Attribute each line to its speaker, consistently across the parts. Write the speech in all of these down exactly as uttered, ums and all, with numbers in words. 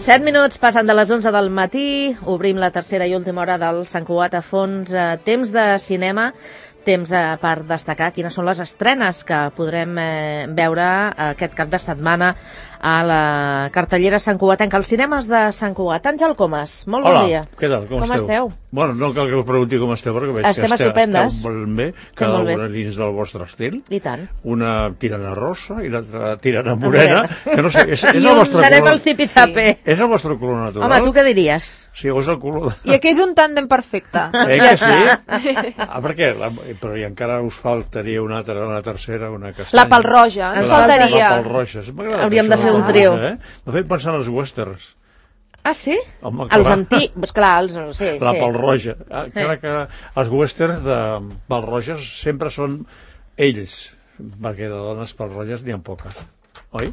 Speaker 1: Set minuts passen de les onze del matí, obrim la tercera i última hora del Sant Cugat a fons. Eh, temps de cinema, temps eh, per destacar quines són les estrenes que podrem eh, veure aquest cap de setmana a la cartellera santcugatenca, als cinemes de Sant Cugat. Àngel Comas, molt bon
Speaker 2: Hola,
Speaker 1: dia.
Speaker 2: Què tal? Com,
Speaker 1: com esteu? esteu?
Speaker 2: Bueno, no cal que us pregunti com esteu, perquè veig
Speaker 1: Estem
Speaker 2: que esteu,
Speaker 1: estupendes.
Speaker 2: esteu molt bé, cada una dins del vostre estil.
Speaker 1: I tant.
Speaker 2: Una tirana rosa i l'altra tirana morena, que no sé, és, és
Speaker 1: I
Speaker 2: el vostre
Speaker 1: serem
Speaker 2: color.
Speaker 1: el zipizape.
Speaker 2: Sí. És el vostre color natural.
Speaker 1: Home, tu què diries?
Speaker 2: Sí, o és el color... De...
Speaker 3: I aquí és un tàndem perfecte.
Speaker 2: Eh que sí? Ah, perquè, la, però i encara us faltaria una altra, una tercera, una castanya.
Speaker 3: La pelroja, ens
Speaker 2: la,
Speaker 3: faltaria.
Speaker 2: La pelroja.
Speaker 1: Hauríem de fer un trio.
Speaker 2: Eh? M'ha fet pensar en els westerns.
Speaker 1: Ah, sí?
Speaker 2: Home,
Speaker 1: els antics, pues clar, els... Sí,
Speaker 2: la
Speaker 1: sí.
Speaker 2: pelroja. Ah, eh. que els westerns de pelroges sempre són ells, perquè de dones pelroges n'hi ha poques, oi?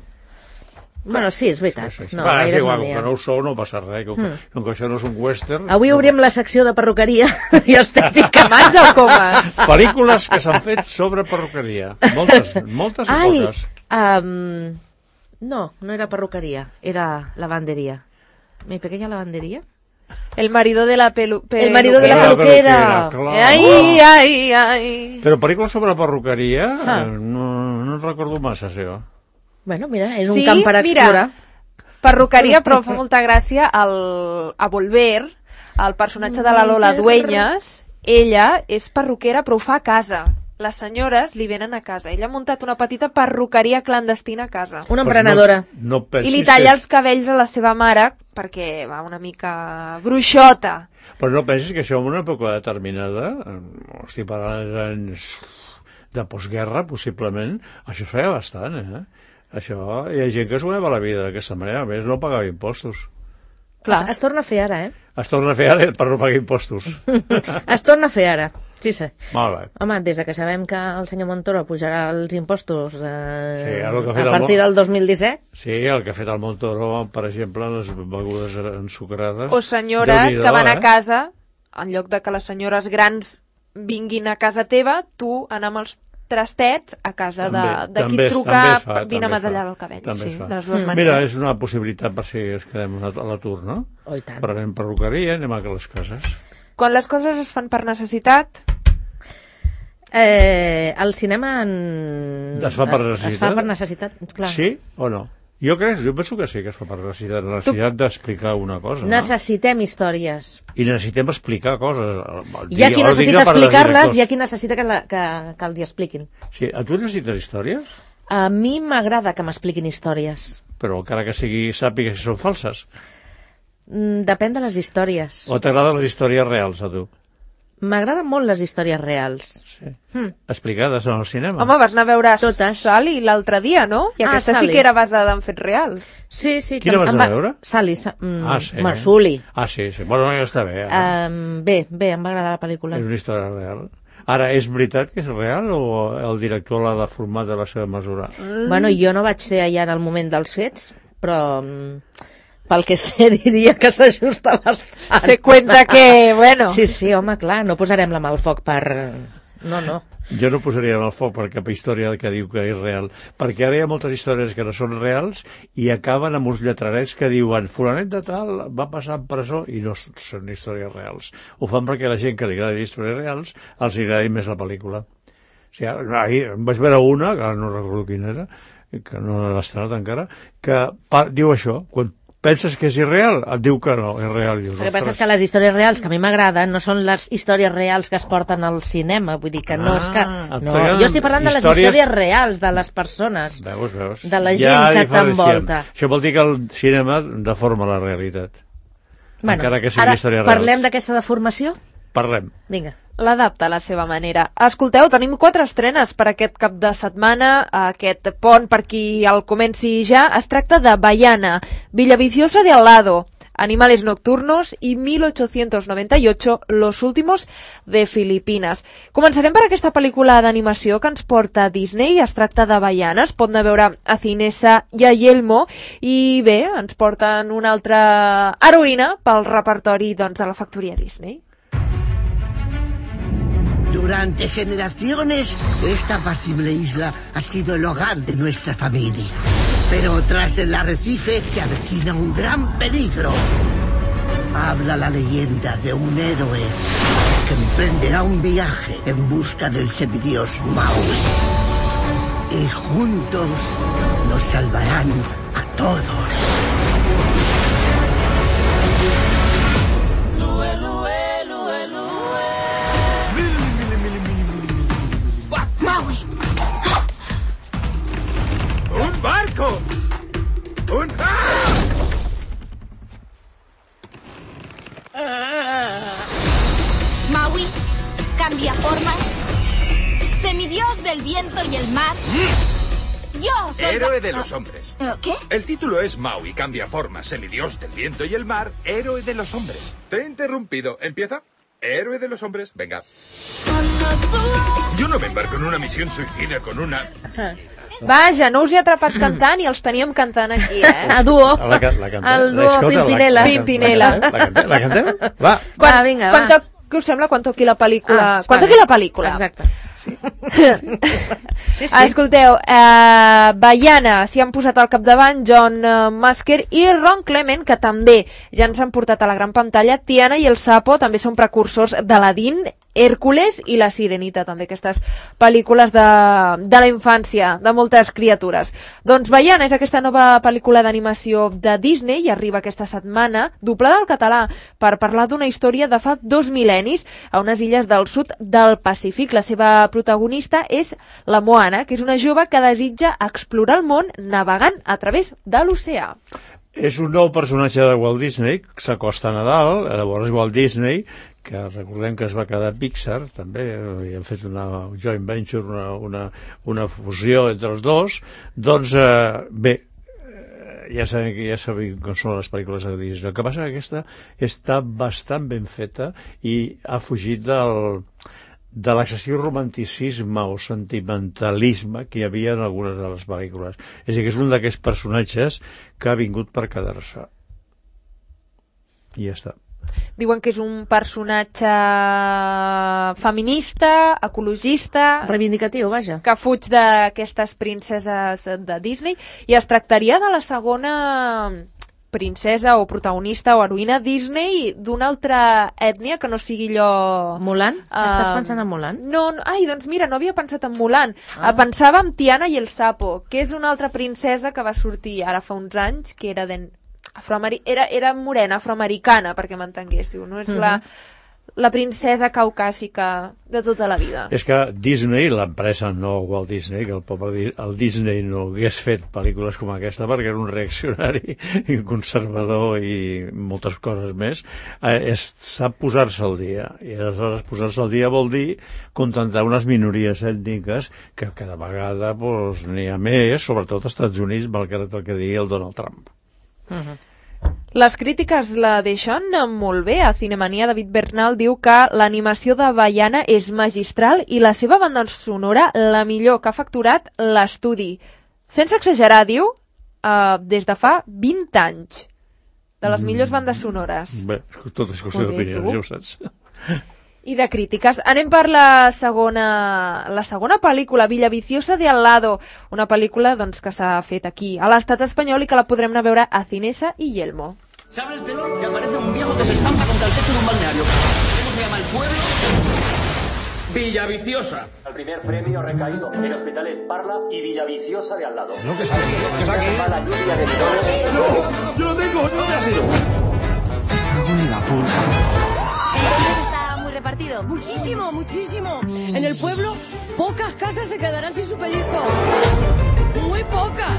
Speaker 1: Bueno, sí, és veritat.
Speaker 2: Sí, sí, sí.
Speaker 1: No,
Speaker 2: Va, és
Speaker 1: no
Speaker 2: igual, que no ho sou no passa res, com, mm. com que això no és un western...
Speaker 1: Avui obrim
Speaker 2: no...
Speaker 1: la secció de perruqueria i estètica.
Speaker 3: Àngel Comas.
Speaker 2: Pel·lícules que s'han fet sobre perruqueria. Moltes, moltes i
Speaker 1: Ai,
Speaker 2: poques.
Speaker 1: Um, no, no era perruqueria, era lavanderia. ¿Mi pequeña lavandería?
Speaker 3: El marido de la pelu... Pe...
Speaker 1: El marido de la peluquera.
Speaker 2: peluquera
Speaker 3: ai, ai, ai.
Speaker 2: Però pel·lícules sobre perruqueria
Speaker 1: ah.
Speaker 2: no, no en recordo massa, seva.
Speaker 1: Bueno, mira, és
Speaker 3: sí,
Speaker 1: un camp per explorar.
Speaker 3: Mira, perruqueria, però fa molta gràcia el, a Volver, el personatge de la Lola Dueñas, ella és perruquera però ho fa a casa. Les senyores li venen a casa. Ella ha muntat una petita perruqueria clandestina a casa.
Speaker 1: Una emprenedora.
Speaker 2: Pues no, no
Speaker 3: I li talla els cabells a la seva mare perquè va una mica bruixota.
Speaker 2: Però no pensis que això en una època determinada, estic parlant dels anys de postguerra, possiblement, això es feia bastant, eh? Això, hi ha gent que es guanyava la vida d'aquesta manera, a més no pagava impostos.
Speaker 1: Clar. Es, es torna a fer ara, eh?
Speaker 2: Es torna a fer ara per no pagar impostos.
Speaker 1: Es torna a fer ara, sí, sí.
Speaker 2: Molt bé.
Speaker 1: Home, des de que sabem que el senyor Montoro pujarà els impostos eh,
Speaker 2: sí, a
Speaker 1: partir del dos mil disset...
Speaker 2: Sí, el que ha fet el Montoro, per exemple, les begudes ensucrades...
Speaker 3: O senyores que van a casa, en lloc de que les senyores grans vinguin a casa teva, tu anar amb els trastets a casa de, de qui et truca fa, vine a matallar el cabell. Sí, de les dues
Speaker 2: mm. Mira, és una possibilitat per si es quedem a l'atur, no?
Speaker 1: Oh, i tant.
Speaker 2: Però anem perruqueria, anem a les cases.
Speaker 3: Quan les coses es fan per necessitat...
Speaker 1: Eh, el cinema en...
Speaker 2: es fa per necessitat?
Speaker 1: Es fa per necessitat, clar.
Speaker 2: Sí o no? Jo crec, jo penso que sí que es fa per necessitat, la necessitat tu... d'explicar una cosa.
Speaker 1: Necessitem
Speaker 2: no?
Speaker 1: històries.
Speaker 2: I necessitem explicar coses.
Speaker 1: Hi ha qui necessita explicar-les i hi ha qui necessita que, la, que, que els hi expliquin.
Speaker 2: Sí, a tu necessites històries?
Speaker 1: A mi m'agrada que m'expliquin històries.
Speaker 2: Però encara que sigui sàpiga si són falses?
Speaker 1: Mm, depèn de les històries.
Speaker 2: O t'agraden les històries reals, a tu?
Speaker 1: M'agraden molt les històries reals.
Speaker 2: Sí. Hmm. Explicades en el cinema.
Speaker 3: Home, vas anar a veure
Speaker 1: totes.
Speaker 3: Sally l'altre dia, no? I
Speaker 1: ah,
Speaker 3: aquesta
Speaker 1: Sally.
Speaker 3: sí que era basada en fets reals.
Speaker 1: Sí, sí.
Speaker 2: Quina vas anar a veure?
Speaker 1: Sally. Sa mm,
Speaker 2: ah, sí.
Speaker 1: Bueno, Sully.
Speaker 2: Ah, sí, sí. Bueno, ja està bé. Eh?
Speaker 1: Um, bé, bé, em va agradar la pel·lícula.
Speaker 2: És una història real. Ara, és veritat que és real o el director l'ha deformat de la seva mesura?
Speaker 1: Mm. Bueno, jo no vaig ser allà en el moment dels fets, però... pel que sé, diria que s'ajusta bastant.
Speaker 3: Se cuenta que, bueno...
Speaker 1: Sí, sí, home, clar, no posarem la mà al foc per... No, no.
Speaker 2: Jo no posaria el foc per cap història que diu que és real, perquè ara hi ha moltes històries que no són reals i acaben amb uns lletrarets que diuen fulanet de tal va passar en presó i no són històries reals. Ho fan perquè la gent que li agradi històries reals els agradi més la pel·lícula. O sigui, ahir vaig veure una, que no recordo quina era, que no l'he estrenat encara, que diu això, quan penses que és irreal? Et diu que no, és real. Dius,
Speaker 1: el que passa és que les històries reals que a mi m'agraden no són les històries reals que es porten al cinema, vull dir que no ah, és que... No, jo estic parlant de les històries... històries reals de les persones,
Speaker 2: veus, veus.
Speaker 1: de la gent ja que t'envolta.
Speaker 2: Això vol dir que el cinema deforma la realitat.
Speaker 1: Bueno,
Speaker 2: encara que sigui
Speaker 1: ara
Speaker 2: històries reals.
Speaker 1: Parlem d'aquesta deformació?
Speaker 2: Parlem.
Speaker 1: Vinga.
Speaker 3: L'adapta a la seva manera. Escolteu, tenim quatre estrenes per aquest cap de setmana, aquest pont per qui el comenci ja. Es tracta de Baiana, Villaviciosa de al lado, Animales nocturnos i mil ochocientos noventa y ocho, Los últimos de Filipinas. Començarem per aquesta pel·lícula d'animació que ens porta Disney. Es tracta de Baiana, es pot anar a veure a Cinesa i a Yelmo, i bé, ens porten una altra heroïna pel repertori doncs, de la factoria Disney.
Speaker 4: Durante generaciones, esta apacible isla ha sido el hogar de nuestra familia. Pero tras el arrecife se avecina un gran peligro. Habla la leyenda de un héroe que emprenderá un viaje en busca del semidios Maui. Y juntos nos salvarán a todos.
Speaker 5: ¡Maui!
Speaker 6: ¡Un barco! ¡Un... ¡Ah!
Speaker 5: Maui, cambia formas. Semidios del viento y el mar. Yo soy...
Speaker 6: Héroe de los hombres.
Speaker 5: ¿Qué?
Speaker 6: El título es Maui, cambia formas, semidios del viento y el mar, héroe de los hombres. Te he interrumpido. ¿Empieza? Héroe de los hombres. Venga. Yo no me embarco en una misión suicida con una...
Speaker 3: Vaja, no us he atrapat cantant i els teníem cantant aquí, eh?
Speaker 1: A duo.
Speaker 2: La, la, la cantem.
Speaker 1: El duo
Speaker 2: Escolta,
Speaker 1: Pimpinela.
Speaker 2: La, la,
Speaker 3: Pimpinela.
Speaker 2: La cantem? La cantem? Va.
Speaker 3: Quan,
Speaker 1: Va, vinga,
Speaker 3: quan
Speaker 1: va.
Speaker 3: toc, què us sembla quan toqui la pel·lícula?
Speaker 1: Ah,
Speaker 3: quan
Speaker 1: vale.
Speaker 3: toqui la pel·lícula?
Speaker 1: Exacte. Sí. Sí, sí.
Speaker 3: Escolteu, eh, Baiana s'hi han posat al capdavant John eh, Musker i Ron Clement, que també ja ens han portat a la gran pantalla. Tiana i el Sapo també són precursors d'Aladín, Hèrcules i la Sirenita, també aquestes pel·lícules de, de la infància de moltes criatures. Doncs Baiana és aquesta nova pel·lícula d'animació de Disney i arriba aquesta setmana doblada al català per parlar d'una història de fa dos mil·lennis a unes illes del sud del Pacífic. La seva protagonista és la Moana, que és una jove que desitja explorar el món navegant a través de l'oceà.
Speaker 2: És un nou personatge de Walt Disney, que s'acosta a Nadal, llavors Walt Disney, que recordem que es va quedar Pixar, també, i han fet una joint venture, una, una, una fusió entre els dos, doncs, eh, bé, ja sabem, ja sabem com són les pel·lícules de Disney. El que passa és que aquesta està bastant ben feta i ha fugit del... de l'excessiu romanticisme o sentimentalisme que hi havia en algunes de les pel·lícules. És a dir, que és un d'aquests personatges que ha vingut per quedar-se. I ja està.
Speaker 3: Diuen que és un personatge feminista, ecologista...
Speaker 1: Reivindicatiu, vaja.
Speaker 3: Que fuig d'aquestes princeses de Disney i es tractaria de la segona princesa o protagonista o heroïna Disney d'una altra ètnia que no sigui allò...
Speaker 1: Mulan?
Speaker 3: Uh,
Speaker 1: Estàs pensant en Mulan?
Speaker 3: No, no, ai, doncs mira, no havia pensat en Mulan.
Speaker 1: Ah.
Speaker 3: Uh, pensava en Tiana i el Sapo, que és una altra princesa que va sortir ara fa uns anys, que era de... Afroameri... era, era morena, afroamericana, perquè m'entenguéssiu. No és uh-huh. la, la princesa caucàsica de tota la vida.
Speaker 2: És que Disney, l'empresa, no Walt Disney, que el pobre el Disney no hagués fet pel·lícules com aquesta perquè era un reaccionari i un conservador i moltes coses més, eh, és, sap posar-se al dia. I aleshores posar-se al dia vol dir contentar unes minories ètniques que cada vegada pues, n'hi ha més, sobretot als Estats Units, malgrat el que digui el Donald Trump.
Speaker 1: Uh-huh.
Speaker 3: Les crítiques la deixen molt bé. A Cinemania, David Bernal diu que l'animació de Baiana és magistral i la seva banda sonora la millor que ha facturat l'estudi. Sense exagerar, diu, uh, des de fa vint anys. De les millors bandes sonores.
Speaker 2: Bé, tot és qüestió d'opinions, ja ho saps.
Speaker 3: I de crítiques. Anem per la segona, la segona pel·lícula, Villaviciosa de Al Lado, una pel·lícula doncs, que s'ha fet aquí, a l'estat espanyol, i que la podrem anar a veure a Cinesa i Yelmo.
Speaker 7: Se abre el telón y aparece un viejo que se estampa contra el techo de un balneario. ¿Cómo se llama el pueblo? Villaviciosa.
Speaker 8: El primer premio recaído en Hospitalet, Parla y Villaviciosa de Al Lado.
Speaker 6: No, que está aquí, que está aquí.
Speaker 8: La lluvia de millones.
Speaker 6: ¡No! ¡Yo lo tengo! ¿Dónde ha sido?
Speaker 4: Me cago en la puta.
Speaker 5: Está muy repartido.
Speaker 9: Muchísimo, muchísimo. En el pueblo, pocas casas se quedarán sin su pellizco. Muy pocas.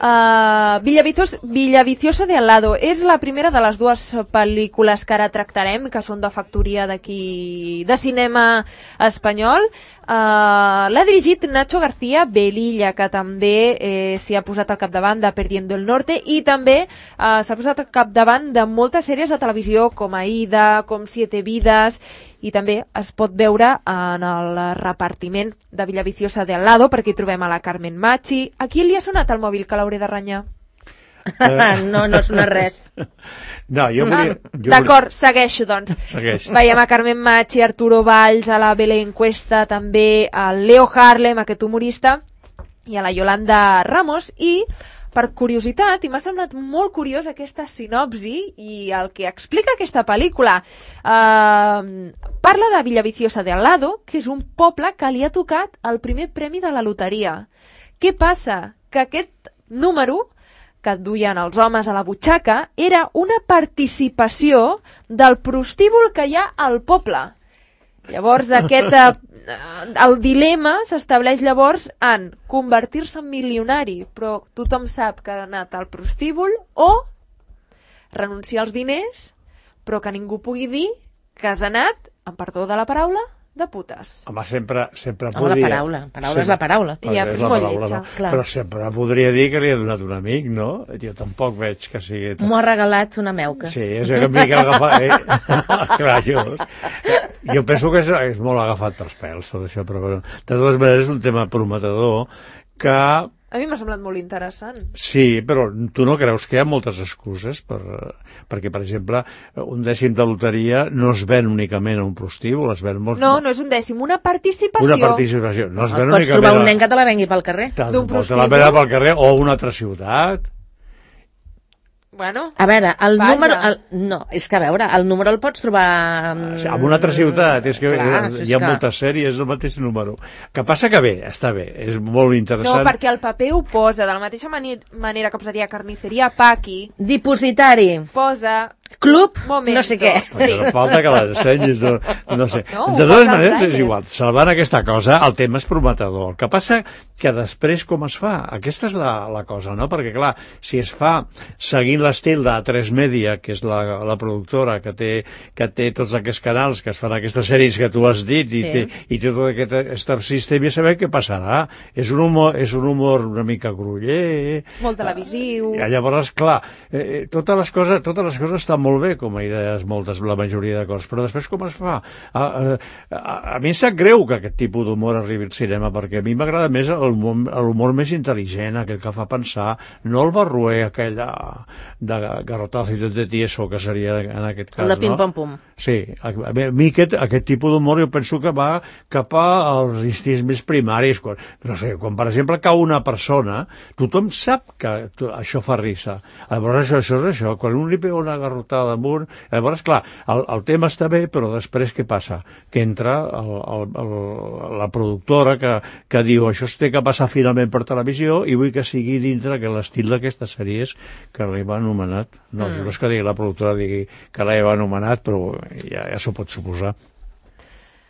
Speaker 3: Uh, Villaviciosa, Villaviciosa de Al Lado és la primera de les dues pel·lícules que ara tractarem, que són de factoria d'aquí de cinema espanyol. Uh, l'ha dirigit Nacho García Velilla, que també eh, s'hi ha posat al capdavant de Perdiendo el Norte, i també uh, s'ha posat al capdavant de moltes sèries de televisió com Aida, com Siete Vidas, i també es pot veure en el repartiment de Villaviciosa de Al Lado, perquè hi trobem a la Carmen Machi. A qui li ha sonat el mòbil que l'hauré de renyar?
Speaker 1: No, no sona res.
Speaker 2: No, jo volia...
Speaker 3: D'acord, segueixo, doncs.
Speaker 2: Segueix.
Speaker 3: Veiem a Carmen Machi, Arturo Valls, a la Belén Cuesta, també a Leo Harlem, aquest humorista, i a la Yolanda Ramos, i per curiositat, i m'ha semblat molt curiós aquesta sinopsi i el que explica aquesta pel·lícula. Uh, parla de Villaviciosa de Al Lado, que és un poble que li ha tocat el primer premi de la loteria. Què passa? Que aquest número que duien els homes a la butxaca era una participació del prostíbul que hi ha al poble. Llavors, aquest, eh, el dilema s'estableix llavors en convertir-se en milionari, però tothom sap que ha anat al prostíbul, o renunciar als diners, però que ningú pugui dir que has anat, amb perdó de la paraula, de putes.
Speaker 2: Home, sempre, sempre
Speaker 1: Home,
Speaker 2: podria...
Speaker 1: la paraula, la paraula sí. és la paraula.
Speaker 2: I ja, és la paraula, no? Però sempre podria dir que li ha donat un amic, no? Jo tampoc veig que sigui...
Speaker 1: M'ho ha regalat una meuca.
Speaker 2: Sí, és una mica agafat... Eh? Clar, jo, jo penso que és, és molt agafat pels pèls, tot això, però bueno, de totes maneres és un tema prometedor que...
Speaker 3: A mi m'ha semblat molt interessant.
Speaker 2: Sí, però tu no creus que hi ha moltes excuses? Per, perquè, per exemple, un dècim de loteria no es ven únicament a un prostíbul, es ven molt...
Speaker 3: No, no és un dècim, una participació.
Speaker 2: Una participació. No es ven
Speaker 1: Pots
Speaker 2: únicament...
Speaker 1: trobar un nen que te la vengui pel carrer.
Speaker 3: D'un prostíbul.
Speaker 2: Te la vengui pel carrer o una altra ciutat.
Speaker 3: Bueno,
Speaker 1: a veure, el
Speaker 3: vaja.
Speaker 1: número... El, no, és que a veure, el número el pots trobar...
Speaker 2: En una altra ciutat, és que
Speaker 1: Clar,
Speaker 2: hi ha
Speaker 1: que...
Speaker 2: moltes sèries del mateix número. Que passa que bé, està bé, és molt interessant.
Speaker 3: No, perquè el paper ho posa, de la mateixa mani- manera que posaria carnisseria Paqui.
Speaker 1: Dipositari.
Speaker 3: Posa...
Speaker 1: Club,
Speaker 3: Momento.
Speaker 1: no sé què.
Speaker 3: Sí.
Speaker 2: No falta que l'ensenyis, no, no sé.
Speaker 3: No,
Speaker 2: de totes
Speaker 3: posa
Speaker 2: maneres,
Speaker 3: el
Speaker 2: és igual, salvant aquesta cosa, el tema és prometedor. El que passa que després com es fa? Aquesta és la, la cosa, no? Perquè, clar, si es fa seguint l'estil de A tres Media, que és la, la productora que té, que té tots aquests canals que es fan aquestes sèries que tu has dit i, sí. té, i té tot aquest star system, i saber què passarà. És un humor, és un humor una mica gruller.
Speaker 3: Molt televisiu.
Speaker 2: I llavors, clar, eh, totes les coses, totes les coses estan molt bé com a idees, moltes, la majoria de coses, però després com es fa? A, a, a, a mi em sap greu que aquest tipus d'humor arribi al cinema, perquè a mi m'agrada més l'humor més intel·ligent, aquell que fa pensar, no el barruer aquell de, de garrotazo i tot de tieso, que seria en aquest cas,
Speaker 1: el de pim-pam-pum.
Speaker 2: No? Sí, a, a mi aquest, aquest tipus d'humor jo penso que va cap als instints més primaris, quan, no sé, quan per exemple cau una persona, tothom sap que això fa risa. Llavors això, això és això, quan un li pega una garrotada damunt, llavors, clar, el, el tema està bé, però després què passa? Que entra el, el, el, la productora que, que diu això es té que passar finalment per televisió i vull que sigui dintre que l'estil d'aquestes sèries que l'Eva ha anomenat. No, mm. no és que digui la productora digui que l'Eva ha anomenat, però ja, ja s'ho pot suposar.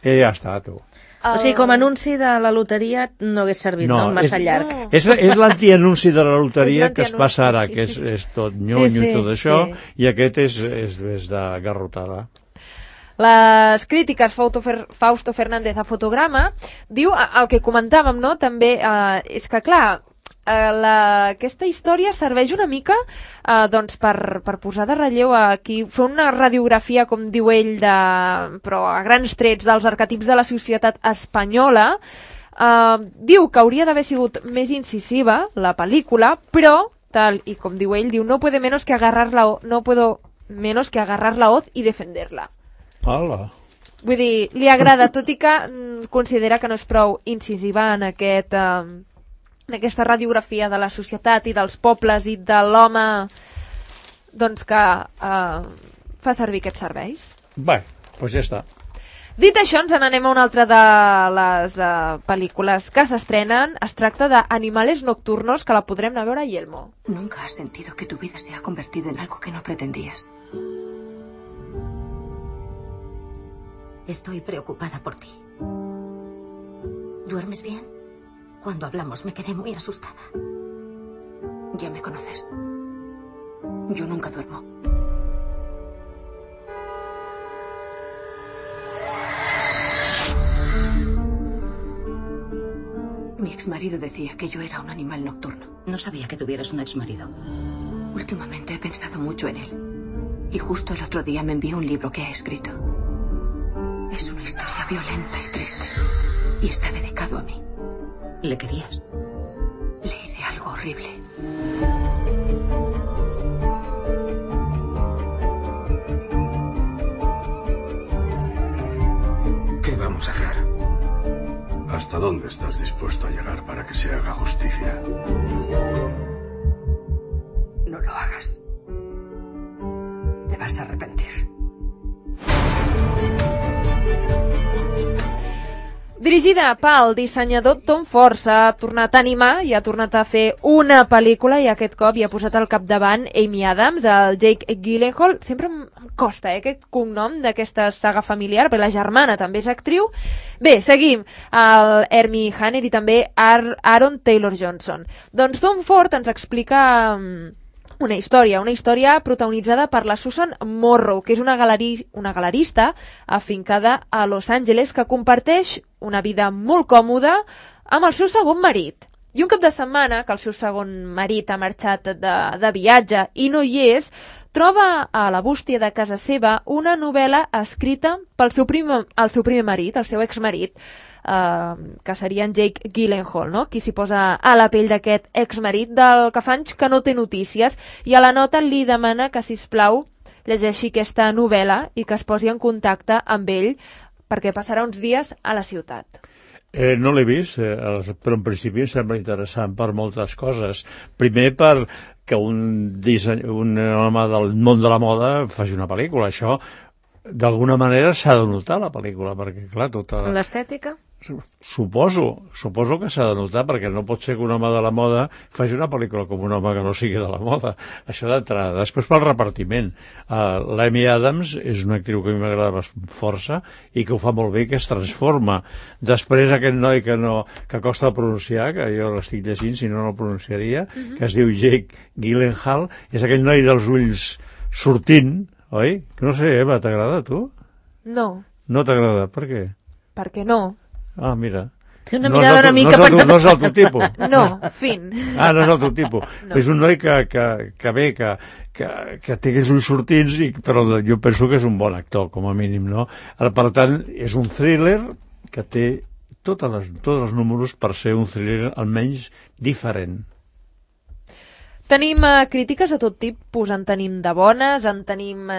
Speaker 2: I ja està, tu.
Speaker 1: O sigui, com a anunci de la loteria no hagués servit, no? no? Massa és, llarg.
Speaker 2: No. És, és l'antianunci de la loteria que es passa ara, que és, és tot nyonyo sí, sí, i tot això, sí. I aquest és, és, és de garrotada.
Speaker 3: Les crítiques, Fausto, Fer, Fausto Fernández a Fotograma, diu el que comentàvem, no? També eh, és que, clar, eh, la, aquesta història serveix una mica eh, doncs per, per posar de relleu aquí, fer una radiografia, com diu ell, de, però a grans trets dels arquetips de la societat espanyola. Eh, diu que hauria d'haver sigut més incisiva la pel·lícula, però, tal i com diu ell, diu no puede menos que agarrar la, no puedo menos que agarrar la hoz y defenderla.
Speaker 2: Hola.
Speaker 3: Vull dir, li agrada, tot i que mm, considera que no és prou incisiva en, aquest, eh, en aquesta radiografia de la societat i dels pobles i de l'home doncs que eh, fa servir aquests serveis.
Speaker 2: Bé, doncs ja està.
Speaker 3: Dit això, ens n'anem a una altra de les uh, pel·lícules que s'estrenen. Es tracta de Animales Nocturnos, que la podrem anar a veure a Yelmo.
Speaker 10: Nunca has sentido que tu vida se ha convertido en algo que no pretendías.
Speaker 11: Estoy preocupada por ti. ¿Duermes bien? Cuando hablamos me quedé muy asustada.
Speaker 10: Ya me conoces. Yo nunca duermo. Mi exmarido decía que yo era un animal nocturno.
Speaker 11: No sabía que tuvieras un exmarido.
Speaker 10: Últimamente he pensado mucho en él. Y justo el otro día me envió un libro que ha escrito. Es una historia violenta y triste. Y está dedicado a mí.
Speaker 11: ¿Le querías?
Speaker 10: Le hice algo horrible.
Speaker 12: podemos hacer? ¿Hasta dónde estás dispuesto a llegar para que se haga justicia?
Speaker 10: No lo hagas. Te vas a arrepentir.
Speaker 3: Dirigida pel dissenyador Tom Ford, s'ha tornat a animar i ha tornat a fer una pel·lícula i aquest cop hi ha posat al capdavant Amy Adams, el Jake Gyllenhaal. Sempre em costa, eh, aquest cognom d'aquesta saga familiar, però la germana també és actriu. Bé, seguim. El Hermie Hanner i també Ar Aaron Taylor-Johnson. Doncs Tom Ford ens explica una història, una història protagonitzada per la Susan Morrow, que és una, galeri, una galerista afincada a Los Angeles que comparteix una vida molt còmoda amb el seu segon marit. I un cap de setmana, que el seu segon marit ha marxat de, de viatge i no hi és, troba a la bústia de casa seva una novel·la escrita pel seu primer, el seu primer marit, el seu exmarit, Uh, que seria en Jake Gyllenhaal, no? Qui s'hi posa a la pell d'aquest exmarit del que fa anys que no té notícies, i a la nota li demana que, sisplau, llegeixi aquesta novel·la i que es posi en contacte amb ell perquè passarà uns dies a la ciutat.
Speaker 2: Eh, no l'he vist, eh, però en principi em sembla interessant per moltes coses. Primer per que un, disseny, un home del món de la moda faci una pel·lícula. Això d'alguna manera s'ha de notar la pel·lícula, perquè clar, tota...
Speaker 1: L'estètica?
Speaker 2: Suposo, suposo que s'ha de notar, perquè no pot ser que un home de la moda faci una pel·lícula com un home que no sigui de la moda. Això d'entrada. Després pel repartiment. Uh, L'Amy Adams és una actriu que a mi m'agrada força i que ho fa molt bé, que es transforma. Després aquest noi que no que costa pronunciar, que jo l'estic llegint, si no no el pronunciaria, uh-huh. que es diu Jake Gyllenhaal, és aquell noi dels ulls sortint, oi? No sé, Eva, t'agrada a tu?
Speaker 3: No.
Speaker 2: No t'agrada, per què?
Speaker 3: Perquè no.
Speaker 2: Ah, mira.
Speaker 1: Té una mirada una mica...
Speaker 2: No és el, no és el teu tipus?
Speaker 3: No, fin.
Speaker 2: Ah, no és el teu tipus. No. És un noi que, que, que bé, que, que, que té aquells ulls sortins, i, però jo penso que és un bon actor, com a mínim, no? Per tant, és un thriller que té totes les, tots els números per ser un thriller almenys diferent.
Speaker 3: Tenim eh, crítiques de tot tipus, en tenim de bones, en tenim eh,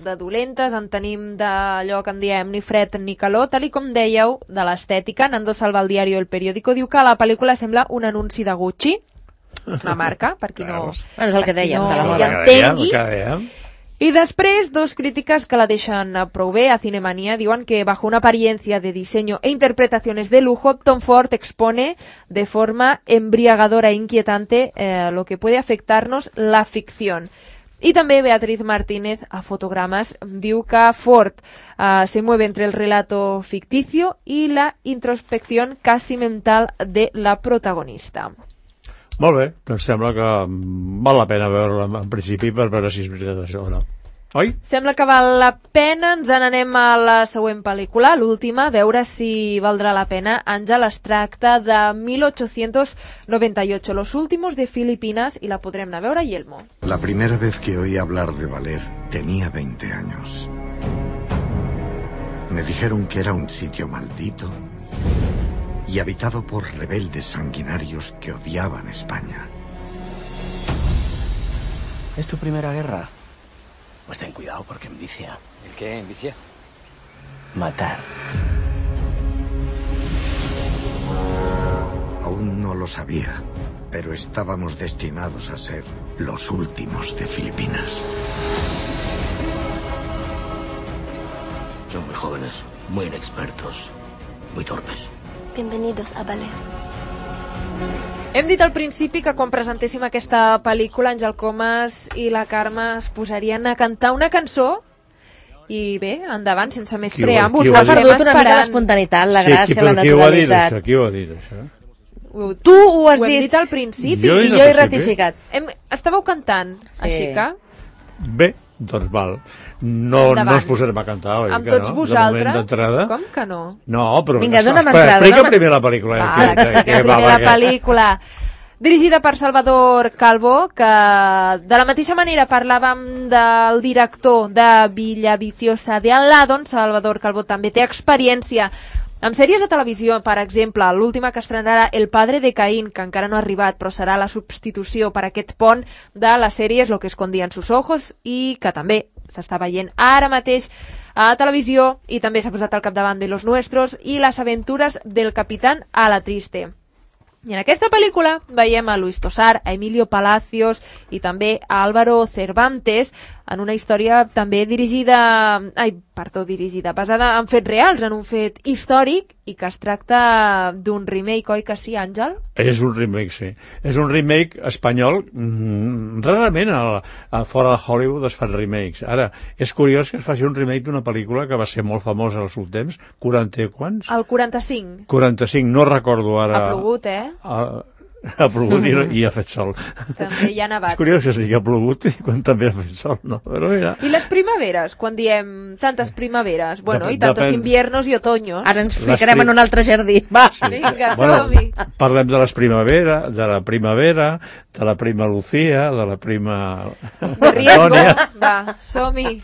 Speaker 3: de dolentes, en tenim d'allò que en diem ni fred ni calor, tal i com dèieu, de l'estètica. Nando Salva al diari El Periódico diu que la pel·lícula sembla un anunci de Gucci, una marca, per qui no,
Speaker 1: bueno, és el que dèiem,
Speaker 3: no
Speaker 1: de la
Speaker 3: hi
Speaker 1: moda.
Speaker 3: entengui. Y después, dos críticas que la dejan prou bé a Cinemanía diuen que bajo una apariencia de diseño e interpretaciones de lujo, Tom Ford expone de forma embriagadora e inquietante eh, lo que puede afectarnos la ficción. Y també Beatriz Martínez, a Fotogramas, diu que Ford uh, se mueve entre el relato ficticio y la introspección casi mental de la protagonista.
Speaker 2: Molt bé, doncs sembla que val la pena veure-la en principi per veure si és veritat això o no. Oi?
Speaker 3: Sembla que val la pena, ens n'anem a la següent pel·lícula, l'última, veure si valdrà la pena. Àngel, es tracta de mil ochocientos noventa y ocho, Los últimos de Filipinas, i la podrem anar a veure, Yelmo.
Speaker 13: La primera vez que oí hablar de Valer tenía veinte años. Me dijeron que era un sitio maldito y habitado por rebeldes sanguinarios que odiaban España.
Speaker 7: ¿Es tu primera guerra? Pues ten cuidado porque envicia.
Speaker 8: ¿El qué? ¿Envicia?
Speaker 7: Matar.
Speaker 13: Aún no lo sabía, pero estábamos destinados a ser los últimos de Filipinas.
Speaker 7: Son muy jóvenes, muy inexpertos, muy torpes.
Speaker 14: Bienvenidos a Valer.
Speaker 3: Hem dit al principi que quan presentéssim aquesta pel·lícula, Àngel Comas i la Carme es posarien a cantar una cançó i bé, endavant, sense més
Speaker 2: qui
Speaker 3: preàmbuls.
Speaker 2: Ho ha
Speaker 1: perdut una mica l'espontaneïtat, la gràcia, sí, la naturalitat.
Speaker 2: Qui ho ha dit, això?
Speaker 1: Tu ho has
Speaker 3: ho
Speaker 1: dit.
Speaker 3: Hem dit al principi.
Speaker 2: Jo
Speaker 1: I jo he ratificat.
Speaker 3: Hem... Estàveu cantant, sí. Així que...
Speaker 2: Bé, doncs val. No, no ens posarem a cantar, oi?
Speaker 3: Amb
Speaker 2: que
Speaker 3: tots
Speaker 2: no?
Speaker 3: vosaltres? Com que no?
Speaker 2: No, però...
Speaker 1: Vinga, dona'm
Speaker 2: entrada. Explica
Speaker 1: dona
Speaker 2: primer la pel·lícula.
Speaker 3: Va,
Speaker 2: que, que,
Speaker 3: explica
Speaker 2: que,
Speaker 3: primer
Speaker 2: va,
Speaker 3: la
Speaker 2: que...
Speaker 3: pel·lícula. Dirigida per Salvador Calvo, que de la mateixa manera parlàvem del director de Villaviciosa de Al lado, Salvador Calvo també té experiència amb sèries de televisió, per exemple, l'última que estrenarà El padre de Caín, que encara no ha arribat, però serà la substitució per aquest pont de les sèries Lo que escondía en sus ojos, i que també s'està veient ara mateix a televisió i també s'ha posat al capdavant de Los Nuestros i Les aventures del capitán a la triste. I en aquesta pel·lícula veiem a Luis Tosar, a Emilio Palacios i també a Álvaro Cervantes en una història també dirigida, ai, perdó, dirigida, basada en fets reals, en un fet històric i que es tracta d'un remake, oi que sí, Àngel?
Speaker 2: És un remake, sí. És un remake espanyol. Mm, rarament a, a fora de Hollywood es fan remakes. Ara, és curiós que es faci un remake d'una pel·lícula que va ser molt famosa als últims temps, quaranta quants?
Speaker 3: El quaranta-cinc.
Speaker 2: quaranta-cinc, no recordo ara.
Speaker 3: Ha plogut, eh?
Speaker 2: A, ha plogut i, i ha fet sol.
Speaker 3: També hi ha nevat.
Speaker 2: És curiós que es digui ha plogut i quan també ha fet sol, no? Però mira.
Speaker 3: I les primaveres, quan diem tantes primaveres, bueno, Dep i tantos depèn... inviernos i otoños.
Speaker 1: Ara ens ficarem prim... en un altre jardí. Va.
Speaker 3: Sí. Vinga,
Speaker 2: bueno,
Speaker 3: som-hi.
Speaker 2: Parlem de les primavera, de la primavera, de la prima Lucía, de la prima...
Speaker 3: De riesgo. Va, som-hi.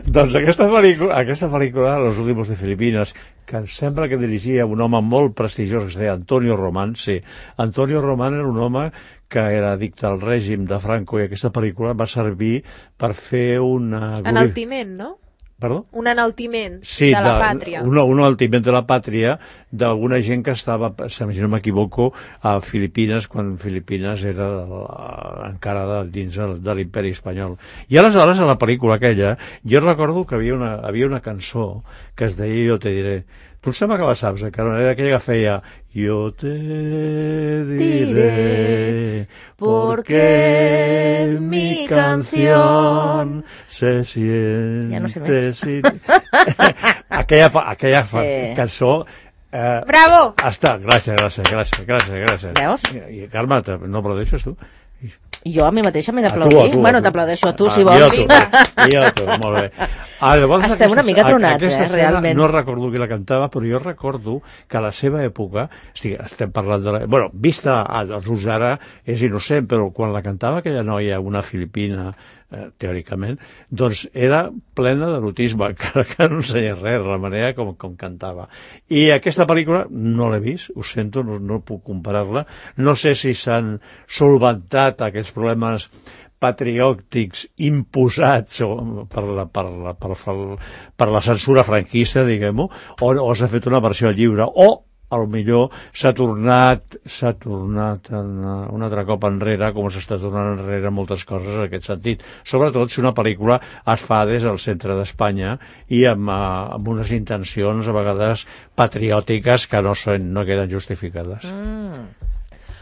Speaker 2: Doncs aquesta pel·lícula, aquesta pel·lícula, Los últimos de Filipinas, que sembla que dirigia un home molt prestigiós que es deia Antonio Román, sí. Antonio Román era un home que era addicte al règim de Franco i aquesta pel·lícula va servir per fer una...
Speaker 3: Enaltiment, no?
Speaker 2: Perdó?
Speaker 3: Un enaltiment
Speaker 2: sí,
Speaker 3: de la
Speaker 2: de,
Speaker 3: pàtria.
Speaker 2: Un, un enaltiment de la pàtria d'alguna gent que estava, si no m'equivoco, a Filipines, quan Filipines era la, encara de, dins de, de l'imperi espanyol. I aleshores, a la pel·lícula aquella, jo recordo que havia una, havia una cançó que es deia Jo te diré. Tu em sembla que la saps, eh? Que era aquella que feia Yo te diré porque mi canción se siente...
Speaker 1: Ja no sé més.
Speaker 2: Si... aquella aquella sí. cançó... Eh,
Speaker 3: Bravo!
Speaker 2: Està, gràcies, gràcies, gràcies, gràcies, gràcies.
Speaker 1: Veus?
Speaker 2: I, i Carme, no aplaudeixes tu?
Speaker 1: Jo a mi mateixa m'he d'aplaudir. Bueno, t'aplaudeixo a tu, si vols.
Speaker 2: I a tu, i a tu, molt bé. Ah, llavors,
Speaker 1: Estem
Speaker 2: aquesta,
Speaker 1: una mica tronats, eh, realment.
Speaker 2: No recordo qui la cantava, però jo recordo que a la seva època, estic, estem parlant de la... Bueno, vista a els ara és innocent, però quan la cantava aquella noia, una filipina, eh, teòricament, doncs era plena d'erotisme, encara que no ensenyés res, la manera com, com cantava. I aquesta pel·lícula no l'he vist, ho sento, no, no puc comparar-la. No sé si s'han solventat aquests problemes patriòtics imposats per la, per la, per la, per la censura franquista, diguem-ho, o, o s'ha fet una versió lliure, o a lo millor s'ha tornat s'ha tornat una, un altre cop enrere, com s'està tornant enrere moltes coses en aquest sentit, sobretot si una pel·lícula es fa des del centre d'Espanya i amb, amb unes intencions a vegades patriòtiques que no, són, no queden justificades. Mm.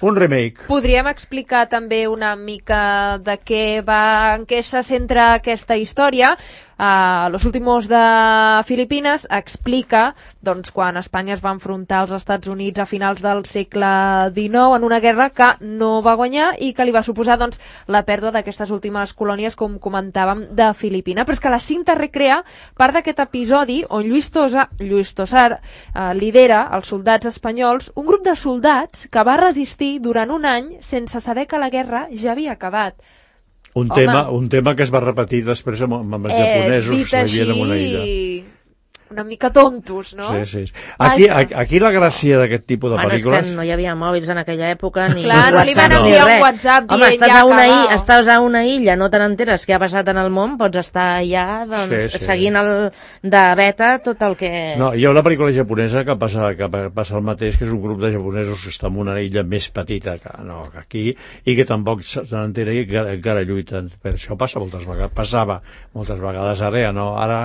Speaker 2: Un remake.
Speaker 3: Podríem explicar també una mica de què va, en què se centra aquesta història. Uh, Los últimos de Filipines explica doncs, quan Espanya es va enfrontar als Estats Units a finals del segle dinou en una guerra que no va guanyar i que li va suposar doncs, la pèrdua d'aquestes últimes colònies, com comentàvem, de Filipina. Però és que la cinta recrea part d'aquest episodi on Lluís Tosar, Lluís Tosar uh, lidera els soldats espanyols, un grup de soldats que va resistir durant un any sense saber que la guerra ja havia acabat.
Speaker 2: Un tema, un tema que es va repetir després amb, amb els eh, japonesos que vivien en una illa.
Speaker 3: Una mica tontos, no?
Speaker 2: Sí, sí. Aquí, Ai, aquí la gràcia d'aquest tipus de
Speaker 1: bueno,
Speaker 2: pel·lícules...
Speaker 1: És que no hi havia mòbils en aquella època, ni
Speaker 3: Clar,
Speaker 1: WhatsApp,
Speaker 3: no li van
Speaker 1: ni
Speaker 3: enviar
Speaker 1: res.
Speaker 3: un WhatsApp
Speaker 1: Home, estàs,
Speaker 3: ja
Speaker 1: a una
Speaker 3: acabau.
Speaker 1: illa, estàs a una illa, no te n'enteres què ha passat en el món, pots estar allà doncs,
Speaker 2: sí, sí.
Speaker 1: seguint el, de beta tot el que...
Speaker 2: No, hi ha una pel·lícula japonesa que passa, que passa el mateix, que és un grup de japonesos que està en una illa més petita que, no, que aquí, i que tampoc se n'entera i que encara lluiten. Per això passa moltes vegades, passava moltes vegades, ara ja no, ara...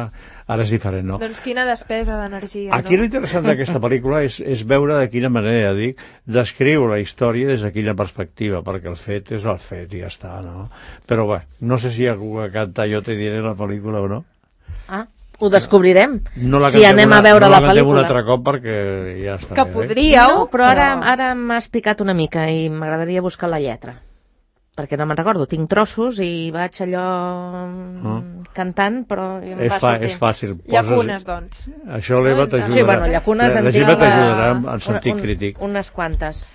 Speaker 2: Ara és diferent, no?
Speaker 3: Doncs quina despesa d'energia,
Speaker 2: Aquí
Speaker 3: no?
Speaker 2: l'interessant d'aquesta pel·lícula és, és veure de quina manera, dic, descriure la història des de quina perspectiva, perquè el fet és el fet i ja està, no? Però bé, no sé si hi ha algú que canta Jo te diré la pel·lícula o no.
Speaker 1: Ah, ho descobrirem,
Speaker 2: no
Speaker 1: si anem
Speaker 2: una,
Speaker 1: a veure
Speaker 2: no
Speaker 1: la,
Speaker 2: la
Speaker 1: pel·lícula.
Speaker 2: un altre cop perquè ja està.
Speaker 3: Que podríeu,
Speaker 1: no, però ara, ara m'has picat una mica i m'agradaria buscar la lletra. Perquè no me'n recordo, tinc trossos i vaig allò oh. cantant, però em
Speaker 2: és
Speaker 1: va
Speaker 2: fa,
Speaker 1: sortir.
Speaker 2: És fàcil. Poses...
Speaker 3: Llacunes, doncs.
Speaker 2: Això l'Eva t'ajudarà.
Speaker 1: Sí, bueno, llacunes
Speaker 2: la,
Speaker 1: en
Speaker 2: la
Speaker 1: tinc
Speaker 2: t'ajudarà en sentit
Speaker 1: un,
Speaker 2: crític.
Speaker 1: Unes quantes.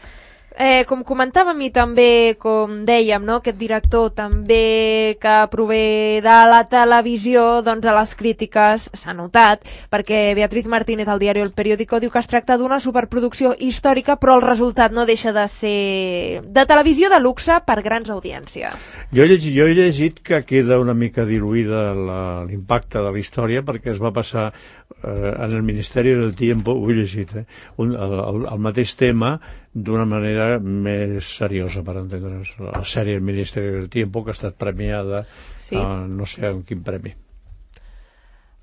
Speaker 3: Eh, com comentàvem i també, com dèiem, no? Aquest director també que prové de la televisió, doncs a les crítiques s'ha notat, perquè Beatriz Martínez al diari El Periódico diu que es tracta d'una superproducció històrica, però el resultat no deixa de ser de televisió de luxe per grans audiències.
Speaker 2: Jo he llegit, jo he llegit que queda una mica diluïda l'impacte de la història perquè es va passar eh, en el Ministeri del Tiempo, ho he llegit, eh, un, el, el, el mateix tema d'una manera més seriosa, per entendre's. La sèrie El Ministeri del Tiempo, que ha estat premiada, sí. uh, no sé amb quin premi.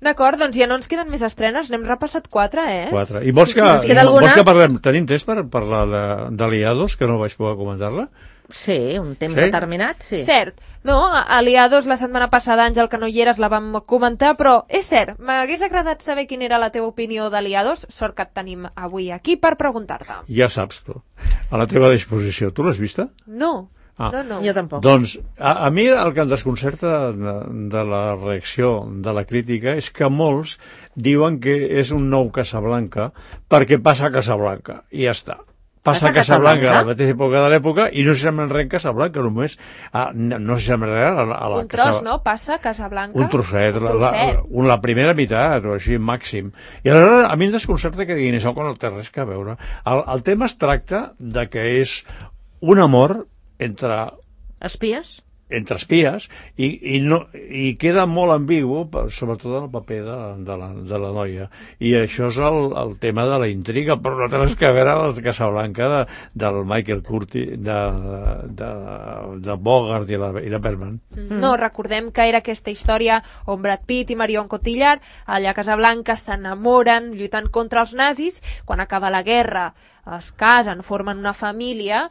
Speaker 3: D'acord, doncs ja no ens queden més estrenes, n'hem repassat quatre, eh?
Speaker 2: Quatre. I vols que, sí, vols que parlem, tenim temps per parlar d'Aliados, que no vaig poder comentar-la?
Speaker 1: Sí, un temps
Speaker 2: sí?
Speaker 1: determinat, sí.
Speaker 3: Cert. No, Aliados la setmana passada, Àngel, que no hi eres, la vam comentar, però és cert, m'hagués agradat saber quina era la teva opinió d'Aliados, sort que et tenim avui aquí per preguntar-te.
Speaker 2: Ja saps, però, a la teva disposició. Tu l'has vista?
Speaker 3: No.
Speaker 2: Ah.
Speaker 3: No, no.
Speaker 1: Jo tampoc.
Speaker 2: Doncs a, a mi el que em desconcerta de, de la reacció de la crítica és que molts diuen que és un nou Casablanca perquè passa a Casablanca i ja està. Passa a Casablanca a la mateixa època de l'època i no s'assembla res en Casablanca, només a, no, no s'assembla res a la, a la
Speaker 3: un tros, Casab... no? Passa a Casablanca.
Speaker 2: Un trosset,
Speaker 3: un
Speaker 2: trosset. La, la, la primera meitat o així, màxim. I aleshores a mi em desconcerta que diguin això quan no té res que veure. El, el tema es tracta de que és un amor entre
Speaker 1: espies
Speaker 2: entre espies i, i, no, i queda molt ambigu, sobretot en el paper de, de, la, de la noia, i això és el, el tema de la intriga, però no té res que veure amb la Casablanca de, del Michael Curtis, de, de, de Bogart i la, i la Bergman.
Speaker 3: No, recordem que era aquesta història on Brad Pitt i Marion Cotillard allà a Casablanca s'enamoren lluitant contra els nazis, quan acaba la guerra es casen, formen una família.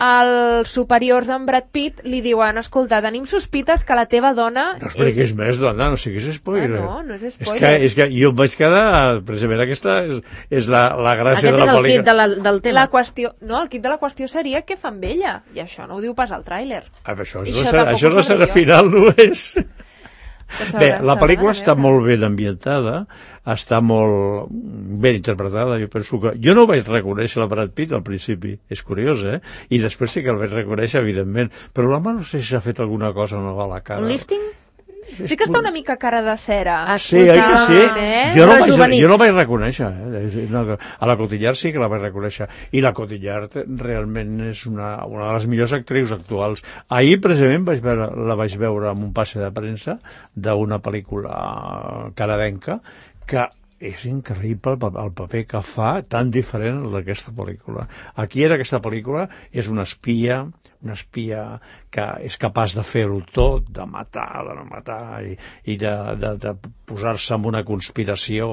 Speaker 3: Els superiors d'en Brad Pitt li diuen, escolta, tenim sospites que la teva dona...
Speaker 2: No expliquis és... més, dona, no siguis spoiler.
Speaker 3: Ah, no, no és spoiler.
Speaker 2: És que, és que jo em vaig quedar... Precisament aquesta és, és la, la gràcia
Speaker 1: Aquest
Speaker 2: de la pel·lícula.
Speaker 1: Aquest és el kit de la, del tema.
Speaker 3: La qüestió, no, el kit de la qüestió seria què fan amb ella, i això no ho diu pas al tràiler.
Speaker 2: Ah, això és, això, la, això és la escena final, no és... Bé, la pel·lícula està molt ben ambientada, està molt ben interpretada, jo penso que... Jo no vaig reconèixer la Brad Pitt al principi, és curiós, eh? I després sí que el vaig reconèixer, evidentment, però l'home no sé si s'ha fet alguna cosa nova a la cara.
Speaker 1: Un lifting?
Speaker 3: Sí que està una mica cara de cera.
Speaker 2: Ah, sí, oi que sí? Eh? Jo, no vaig, jo no vaig reconèixer. Eh? A la Cotillard sí que la vaig reconèixer. I la Cotillard realment és una, una de les millors actrius actuals. Ahir, precisament, vaig veure, la vaig veure en un passe de premsa d'una pel·lícula canadenca que és increïble el, el paper que fa, tan diferent d'aquesta pel·lícula. Aquí en aquesta pel·lícula és una espia, una espia que és capaç de fer-ho tot, de matar, de no matar, i, i de, de, de posar-se en una conspiració,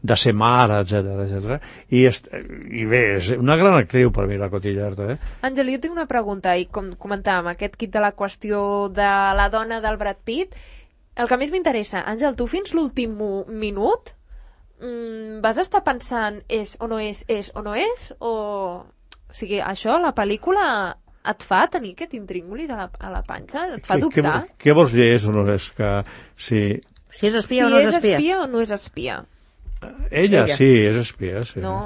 Speaker 2: de ser mare, etcètera, etcètera. I, I bé, és una gran actriu per mi, la Cotillard. Eh?
Speaker 3: Àngel, jo tinc una pregunta, i com comentàvem, aquest kit de la qüestió de la dona del Brad Pitt, el que més m'interessa, Àngel, tu fins l'últim minut Mm, vas estar pensant és o no és, és o no és, o... O sigui, això, la pel·lícula et fa tenir aquest intríngulis a la, a la panxa? Et fa dubtar?
Speaker 2: Què, què vols dir és o no és? Que si...
Speaker 1: Si és espia
Speaker 3: si
Speaker 1: o no és espia?
Speaker 3: Si és espia o no és espia?
Speaker 2: Ella, Ella. sí, és espia, sí.
Speaker 3: No,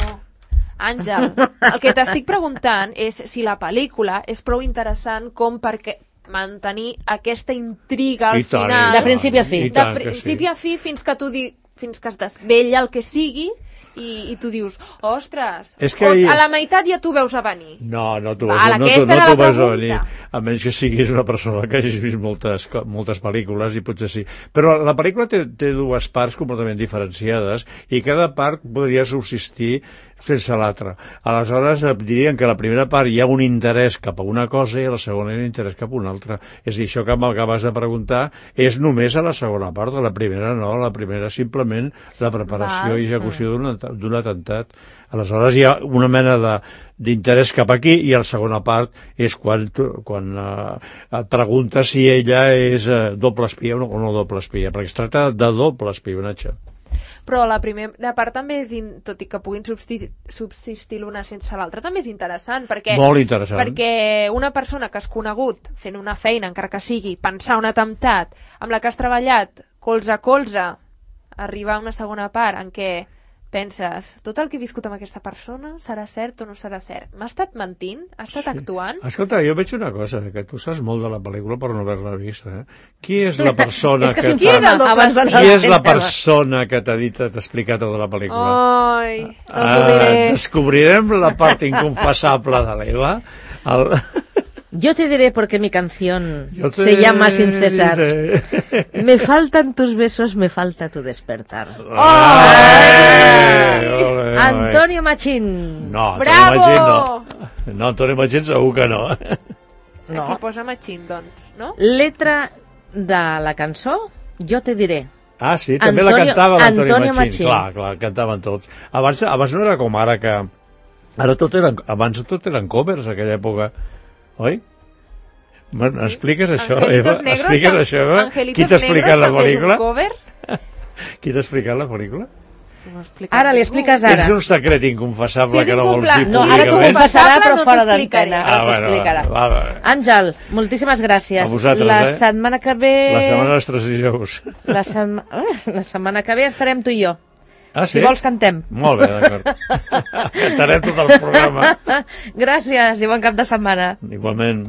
Speaker 3: Àngel, el que t'estic preguntant és si la pel·lícula és prou interessant com perquè mantenir aquesta intriga al
Speaker 2: tant,
Speaker 3: final.
Speaker 1: De principi a fi.
Speaker 3: De principi a fi fins que tu di... fins que es desvella el que sigui i, i tu dius, ostres,
Speaker 2: que
Speaker 3: o, a la meitat ja tu veus a venir.
Speaker 2: No, no t'ho veus,
Speaker 3: Val,
Speaker 2: no, no, no
Speaker 3: no
Speaker 2: veus a venir, a menys que siguis una persona que hagis vist moltes, moltes pel·lícules i potser sí. Però la pel·lícula té, té dues parts completament diferenciades i cada part podria subsistir sense l'altra. Aleshores dirien que a la primera part hi ha un interès cap a una cosa i a la segona hi ha un interès cap a una altra. És a dir, això que m'acabes de preguntar és només a la segona part, a la primera no, a la primera simplement la preparació Val. i execució d'un d'un atemptat. Aleshores hi ha una mena d'interès cap aquí i la segona part és quan, quan uh, et preguntes si ella és uh, doble espia o no, o no doble espia, perquè es tracta de doble espionatge.
Speaker 3: Però la primera part també és, in... tot i que puguin subsistir, subsistir l'una sense l'altra, també és interessant, perquè,
Speaker 2: molt interessant,
Speaker 3: perquè una persona que has conegut fent una feina, encara que sigui, pensar un atemptat, amb la que has treballat colze a colze, arribar a una segona part en què penses, tot el que he viscut amb aquesta persona serà cert o no serà cert? M'ha estat mentint? Ha estat sí. actuant?
Speaker 2: Escolta, jo veig una cosa, que tu saps molt de la pel·lícula per no haver-la vist, eh? Qui és la persona
Speaker 1: és que,
Speaker 2: que
Speaker 1: si
Speaker 2: t'ha...
Speaker 1: abans de
Speaker 2: Qui és la persona que t'ha dit, t'ha explicat tota la pel·lícula?
Speaker 3: Ai, no us ho diré.
Speaker 2: Uh, descobrirem la part inconfessable de l'Eva. El...
Speaker 1: Yo te diré porque mi canción
Speaker 2: te
Speaker 1: se llama Sin Cesar.
Speaker 2: diré.
Speaker 1: Me faltan tus besos, me falta tu despertar.
Speaker 2: ¡Oh! Ay, ole,
Speaker 1: Antonio Machín.
Speaker 2: No,
Speaker 3: Bravo!
Speaker 2: Antonio Machín no. No, Antonio Machín segur que no.
Speaker 3: No. Aquí posa Machín, doncs, no?
Speaker 1: Letra de la cançó, Jo te diré.
Speaker 2: Ah, sí, també
Speaker 1: Antonio,
Speaker 2: la cantava l'Antonio
Speaker 1: Antonio
Speaker 2: Machín.
Speaker 1: Machín.
Speaker 2: Clar, clar, cantaven tots. Abans, abans no era com ara que... Ara tot eren, abans tot eren covers, aquella època. Oi? Sí. Expliques això,
Speaker 3: Angelitos
Speaker 2: Eva?
Speaker 3: Negros,
Speaker 2: Expliques
Speaker 3: tam...
Speaker 2: això, Eva?
Speaker 3: Angelitos
Speaker 2: Qui t'ha explicat la
Speaker 3: Negros
Speaker 2: pel·lícula?
Speaker 3: també és un cover?
Speaker 2: Qui t'ha explicat la pel·lícula?
Speaker 1: Ara li expliques ara.
Speaker 2: És un secret inconfessable
Speaker 3: sí,
Speaker 2: que no vols dir
Speaker 1: no, ara t'ho
Speaker 2: públicament.
Speaker 1: confessarà, però
Speaker 3: no
Speaker 1: fora d'antena.
Speaker 2: Ah,
Speaker 1: Ara
Speaker 2: bueno,
Speaker 1: t'explicarà.
Speaker 2: va, va, va.
Speaker 1: Àngel, moltíssimes gràcies.
Speaker 2: A vosaltres,
Speaker 1: la
Speaker 2: eh?
Speaker 1: setmana que ve...
Speaker 2: La setmana dels tres dijous.
Speaker 1: La, sema... la setmana que ve estarem tu i jo.
Speaker 2: Ah, sí?
Speaker 1: Si vols, cantem.
Speaker 2: Molt bé, d'acord. Cantarem tot el programa.
Speaker 1: Gràcies i bon cap de setmana.
Speaker 2: Igualment.